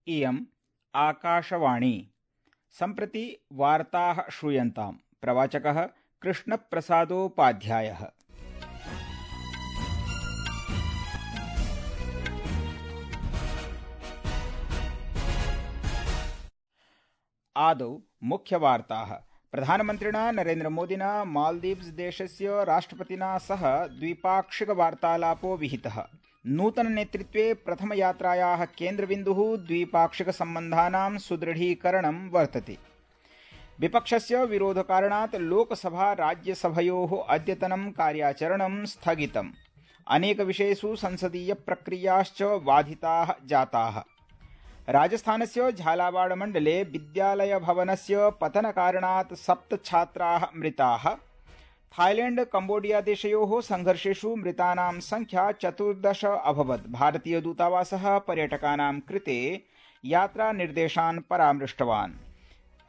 इयम् आकाशवाणी। सम्प्रति वार्ताः श्रूयन्ताम्। प्रवाचकः कृष्णप्रसादोपाध्यायः। आदौ मुख्यवार्ताः। प्रधानमन्त्रिणा नरेन्द्रमोदिना मालदीव्स देशस्य राष्ट्रपतिना सह द्विपाक्षिकवार्तालापो विहितः। नूतननेतृत्वे प्रथमयात्रायाः केन्द्रबिन्दुः द्विपाक्षिकसम्बन्धानां सुदृढीकरणं वर्तते। विपक्षस्य विरोधकारणात् लोकसभा राज्यसभयोः अद्यतनं कार्याचरणं स्थगितम्। अनेकविषयेषु संसदीयप्रक्रियाश्च बाधिताः जाताः। राजस्थानस्य झालावाड़ मण्डले विद्यालयभवनस्य पतनकारणात् 7 छात्राः मृताः। थाईलैंड कम्बोडिया देशयोः संघर्षेषु मृतानां संख्या 14 अभवत्। भारतीयदूतावासः पर्यटकानां कृते यात्रानिर्देशान् परामृष्टवान्।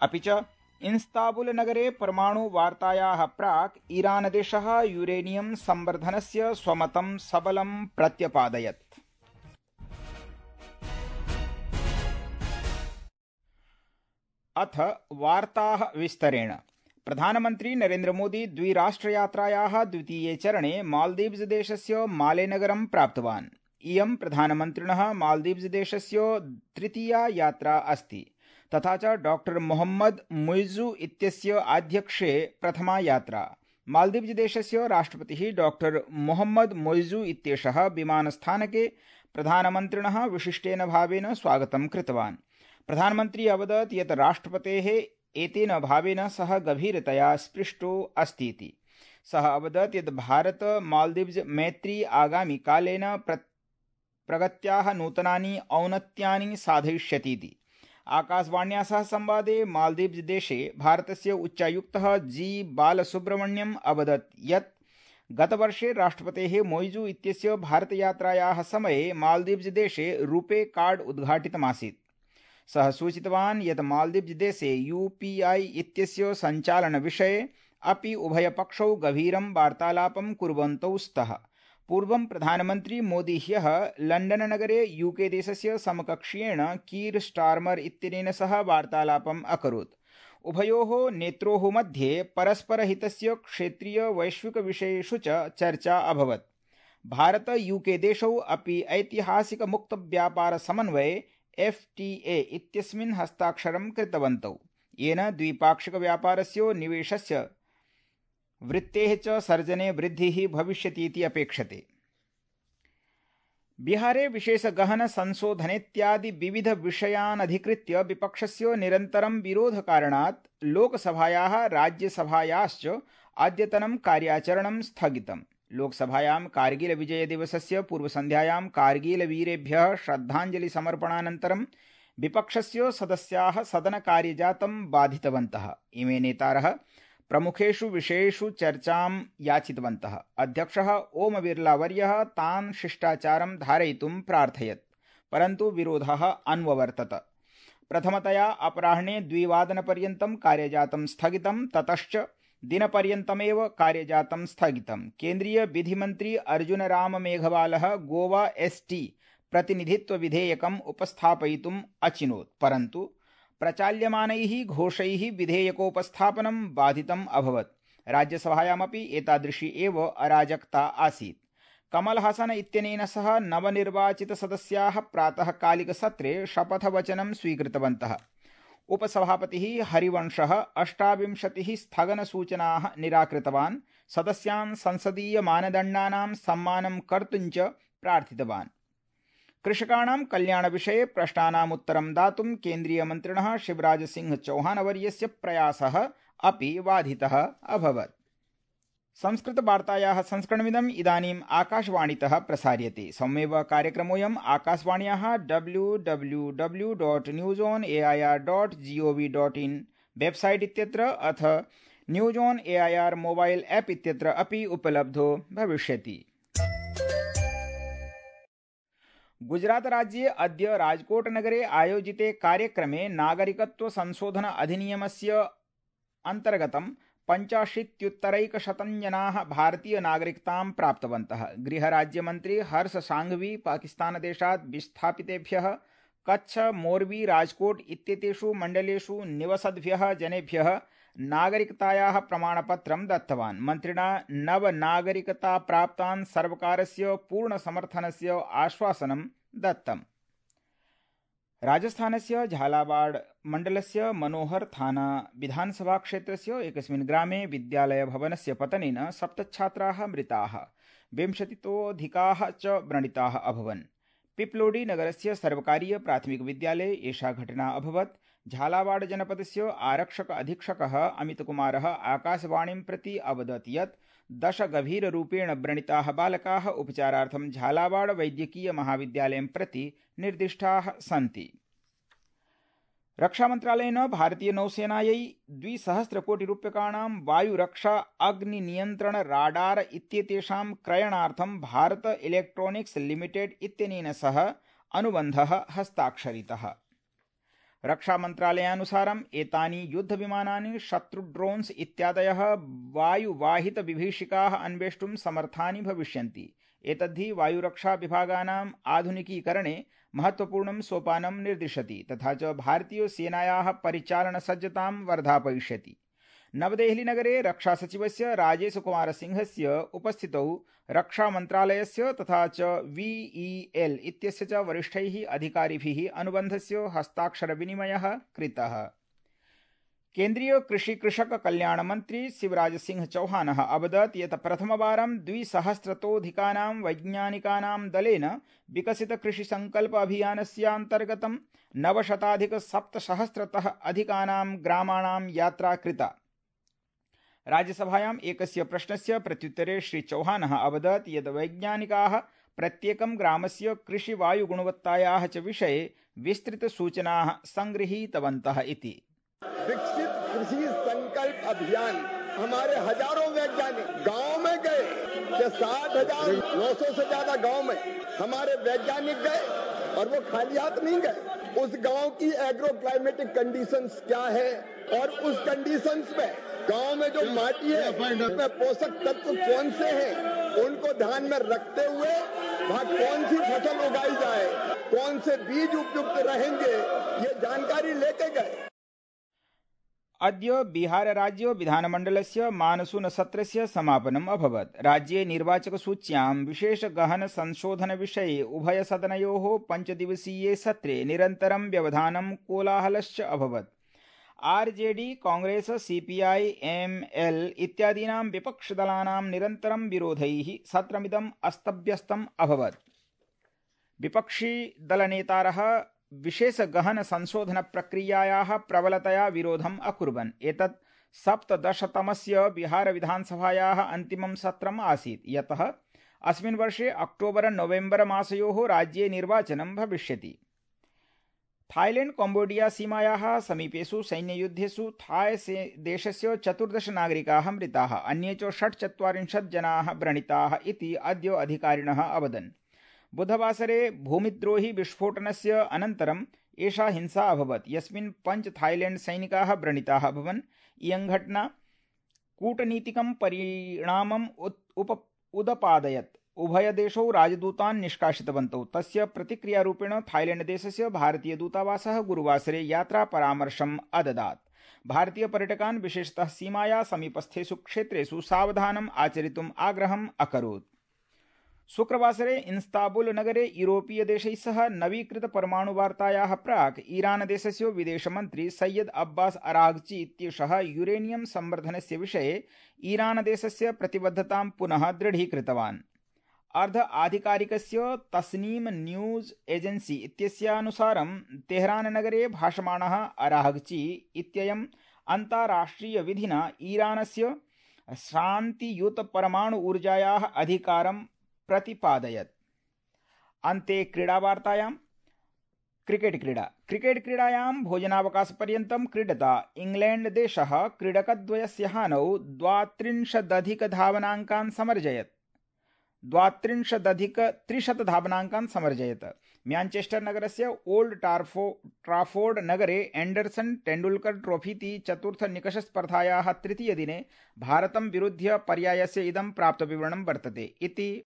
अपि च इस्तांबुल नगरे परमाणुवार्तायाः प्राक् ईरानदेशः यूरेनियम संवर्धनस्य स्वमतं सबलं प्रत्यपादयत्। अथ वार्ताः विस्तरेण। प्रधानमन्त्री नरेन्द्र मोदी द्विराष्ट्रयात्रायाः द्वितीये चरणे मालदीव्स देशस्य मालेनगरं प्राप्तवान्। इयं प्रधानमन्त्रिणः मालदीव्स देशस्य तृतीया यात्रा अस्ति, तथा च डॉक्टर मोहम्मद मुइज़्ज़ू इत्यस्य आध्यक्ष्ये प्रथमा यात्रा। मालदीव्स देशस्य राष्ट्रपतिः डॉक्टर मोहम्मद मुइज़्ज़ू इत्येषः विमानस्थानके प्रधानमन्त्रिणः विशिष्टेन भावेन स्वागतं कृतवान्। प्रधानमन्त्री अवदत् यत् राष्ट्रपतेः एतेन भावेन सः गभीरतया स्पृष्टो अस्तीति। सः अवदत् यत् भारत मालदीव्स मैत्री आगामि कालेन प्रगत्याः नूतनानि औन्नत्यानि साधयिष्यतीति। आकाशवाण्या सह संवादे मालदीव्स देशे भारतस्य उच्चायुक्तः जी बालसुब्रमण्यम अवदत् यत् गतवर्षे राष्ट्रपतेः मोइज़ू इत्यस्य भारतयात्रायाः समये मालदीव्स देशे रूपे कार्ड उद्घाटितमासीत्। सः सूचितवान् यत् मालदीव्स देशे UPI इत्यस्य सञ्चालनविषये अपि उभयपक्षौ गभीरं वार्तालापं कुर्वन्तौ स्तः। पूर्वं प्रधानमन्त्री मोदी ह्यः लण्डन नगरे UK देशस्य समकक्षीयेण कीर स्टार्मर इत्यनेन सह वार्तालापम् अकरोत्। उभयोः नेत्रोः मध्ये परस्परहितस्य क्षेत्रीय वैश्विक विषयेषु च चर्चा अभवत्। भारत UK देशौ अपि ऐतिहासिक मुक्तव्यापार समन्वये FTA इत्यस्मिन् हस्ताक्षरं कृतवन्तौ, येन द्विपाक्षिक व्यापारस्य निवेशस्य वृत्तेः च सर्जने वृद्धिः भविष्यतीति अपेक्षते। बिहारे विशेष गहन संशोधनेत्यादि विविध विषयान् अधिकृत्य विपक्षस्य निरन्तरं विरोधकारणात् लोकसभायाः राज्यसभायाश्च अद्यतनं कार्याचरणं स्थगितम्। लोकसभायां कारगिल विजय दिवसस्य पूर्वसन्ध्यायां कारगिल वीरेभ्यः श्रद्धाञ्जलि समर्पणानन्तरं विपक्षस्य सदस्याः सदनकार्यजातं बाधितवन्तः। इमे नेतारः प्रमुखेषु विषयेषु चर्चां याचितवन्तः। अध्यक्षः ओम बिर्ला वर्यः तान् शिष्टाचारं धारयितुं प्रार्थयत्, परन्तु विरोधः अन्ववर्तत। प्रथमतया अपराह्णे 2 वादनपर्यन्तं कार्यजातं स्थगितं, ततश्च दिनपर्यन्तमेव कार्यजातं स्थगितं। केन्द्रीय विधिमन्त्री अर्जुन राम मेघवालः गोवा ST प्रतिनिधित्व विधेयकम् उपस्थापयितुम् अचिनोत्, परन्तु प्रचाल्यमानैः घोषैः विधेयकोपस्थापनं बाधितम् अभवत्। राज्यसभायामपि एतादृशी एव अराजकता आसीत्। कमल हासन इत्यनेन सह नवनिर्वाचितसदस्याः प्रातःकालिकसत्रे शपथवचनं स्वीकृतवन्तः। उपसभापतिः हरिवंशः 28 स्थगनसूचनाः निराकृतवान्। सदस्यान् संसदीयमानदण्डानां सम्मानं कर्तुं च प्रार्थितवान्। कृषकाणां कल्याणविषये प्रश्नानाम् उत्तरं दातुं केन्द्रीयमन्त्रिणः शिवराज सिंह चौहानवर्यस्य प्रयासः अपि बाधितः अभवत्। संस्कृतवार्तायाः संस्करणमिदम् इदानीम् आकाशवाणीतः प्रसार्यते। सममेव कार्यक्रमोऽयम् आकाशवाण्याः www.newsonair.gov.in वेबसाइट इत्यत्र अथ news on AIR mobile app इत्यत्र अपि उपलब्धो भविष्यति। गुजरात राज्ये अद्य राजकोट नगरे आयोजिते कार्यक्रमे नागरिकत्व संशोधन अधिनियमस्य अन्तर्गतं 85,100 जनाः भारतीय नागरिकतां प्राप्तवन्तः। गृहराज्यमन्त्री हर्ष सांघवी पाकिस्तानदेशात् विस्थापितेभ्यः कच्छ, मोरबी, राजकोट इत्येतेषु मण्डलेषु निवसद्भ्यः जनेभ्यः नागरिकतायाः प्रमाणपत्रं दत्तवान्। मन्त्रिणा नवनागरिकताप्राप्तान् सर्वकारस्य पूर्णसमर्थनस्य आश्वासनं दत्तम्। राजस्थानस्य झालावाड़ मण्डलस्य मनोहर थाना विधानसभा क्षेत्रस्य एकस्मिन् ग्रामे विद्यालयभवनस्य पतनेन 7 छात्राः मृताः, 20तोऽधिकाः च व्रणिताः अभवन्। पिप्लोडी नगरस्य सर्वकारीय प्राथमिक विद्यालये एषा घटना अभवत्। झालावाड़ जनपदस्य आरक्षक अधीक्षकः अमितकुमारः आकाशवाणीं प्रति अवदत् यत् 10 गभीररूपेण व्रणिताः बालकाः उपचारार्थं झालावाड़ वैद्यकीय महाविद्यालयं प्रति निर्दिष्टाः सन्ति। रक्षामन्त्रालयेन भारतीय नौसेनायै 200 कोटिरूप्यकाणां वायुरक्षा अग्निनियन्त्रण राडार इत्येतेषां क्रयणार्थं भारत इलेक्ट्रॉनिक्स लिमिटेड इत्यनेन सह अनुबन्धः हस्ताक्षरितः। रक्षामन्त्रालयानुसारम् एतानि युद्धविमानानि शत्रुड्रोन्स् इत्यादयः वायुवाहितविभीषिकाः अन्वेष्टुं समर्थानि भविष्यन्ति। एतद्धि वायुरक्षा विभागानाम् आधुनिकीकरणे महत्वपूर्णं सोपानं निर्दिशति तथा च भारतीय सेनायाः परिचालनसज्जतां वर्धापयिष्यति। नवदेहलीनगरे रक्षासचिवस्य राजेशकुमारसिंहस्य उपस्थितौ रक्षामन्त्रालयस्य तथा च VEL इत्यस्य च वरिष्ठैः अधिकारिभिः अनुबन्धस्य हस्ताक्षरविनिमयः कृतः। केन्द्रीय कृषि कृषक कल्याण मंत्री शिवराज सिंह चौहानः अवदत् यत् प्रथमवारं 200तोऽधिकानां वैज्ञानिकानां दलेन विकसित कृषि संकल्प अभियानस्यान्तर्गतं 900अधिक7सहस्रतः अधिकानां ग्रामाणां यात्रा कृता। राज्यसभायाम् एकस्य प्रश्नस्य प्रत्युत्तरे श्री चौहानः अवदत् यत् वैज्ञानिकाः प्रत्येकं ग्रामस्य कृषिवायुगुणवत्तायाः च विषये विस्तृतसूचनाः संगृहीतवन्तः इति। विकसित कृषि संकल्प अभियान हमारे हजारों वैज्ञानिक गांव में गए, 60,900 से ज्यादा गांव में हमारे वैज्ञानिक गए और वो खाली हाथ नहीं गए। उस गांव की एग्रो क्लाइमेटिक कंडीशंस क्या है और उस कंडीशंस में गांव में जो माटी है उसमें पोषक तत्व कौन से हैं उनको ध्यान में रखते हुए वहाँ कौन सी फसल उगाई जाए, कौन से बीज उपयुक्त रहेंगे, ये जानकारी लेके गए। अद्य बिहार राज्य विधानमण्डलस्य मानसून सत्रस्य समापनम् अभवत्। राज्ये निर्वाचकसूच्यां विशेष गहन संशोधन विषये उभयसदनयोः 5 दिवसीये सत्रे निरन्तरं व्यवधानं कोलाहलश्च अभवत्। RJD, कांग्रेस, CPI, ML इत्यादीनां विपक्षदलानां निरन्तरं विरोधैः सत्रमिदम् अस्तव्यस्तम् अभवत्। विपक्षी दलनेतारः विशेष गहन संशोधन प्रक्रियायाः प्रबलतया विरोधम् अकुर्वन्। एतत् 17तमस्य बिहार विधानसभायाः अन्तिमं सत्रम् आसीत्, यतः अस्मिन् वर्षे अक्टोबर-नवेम्बर मासयोः राज्ये निर्वाचनं भविष्यति। थाईलैंड कम्बोडिया सीमायाः समीपेषु सैन्ययुद्धेषु थाय देशस्य 14 नागरिकाः मृताः, अन्ये च 46 जनाः व्रणिताः इति अद्य अधिकारिणः अवदन्। बुधवासरे भूमिद्रोही विस्फोटनस्य अनन्तरम् एषा हिंसा अभवत्, यस्मिन् 5 थाईलैंड सैनिकाः व्रणिताः अभवन्। इयं घटना कूटनीतिकं परिणामम् उदपादयत्। उभयदेशौ राजदूतान् निष्कासितवन्तौ। तस्य प्रतिक्रियारूपेण थाईलैंड देशस्य भारतीय दूतावासः गुरुवासरे यात्रापरामर्शम् अददात्। भारतीय पर्यटकान् विशेषतः सीमाया समीपस्थेषु क्षेत्रेषु सावधानम् आचरितुम् आग्रहम् अकरोत्। शुक्रवासरे इस्तांबुल नगरे यूरोपीय देशैः सह नवीकृत परमाणुवार्तायाः प्राक् ईरान देशस्य विदेशमन्त्री सैयद अब्बास अराघची इत्येषः यूरेनियम संवर्धनस्य विषये ईरान देशस्य प्रतिबद्धतां पुनः दृढीकृतवान्। अर्ध आधिकारिकस्य तस्नीम न्यूज एजेंसी इत्यस्यानुसारं तेहरान नगरे भाषमाणः अराघची इत्ययम् अन्ताराष्ट्रिय विधिना ईरानस्य शान्तियुत परमाणु ऊर्जायाः अधिकारं प्रतिपादयत्। अन्ते क्रीडावार्तायां क्रिकेट क्रीडायां भोजनावकाशपर्यन्तं क्रीडता इंग्लैंड देशः क्रीडकद्वयस्य हानौ 32 धावनाङ्कान् समर्जयत्। 32 धावनाङ्कान् समर्जयत्। मैञ्चेस्टर नगरस्य ओल्ड ट्राफोर्ड नगरे एंडरसन तेंडुलकर ट्रोफीति चतुर्थ निकषस्पर्धायाः तृतीयदिने भारतं विरुध्य पर्यायस्य इदं प्राप्तविवरणं वर्तते इति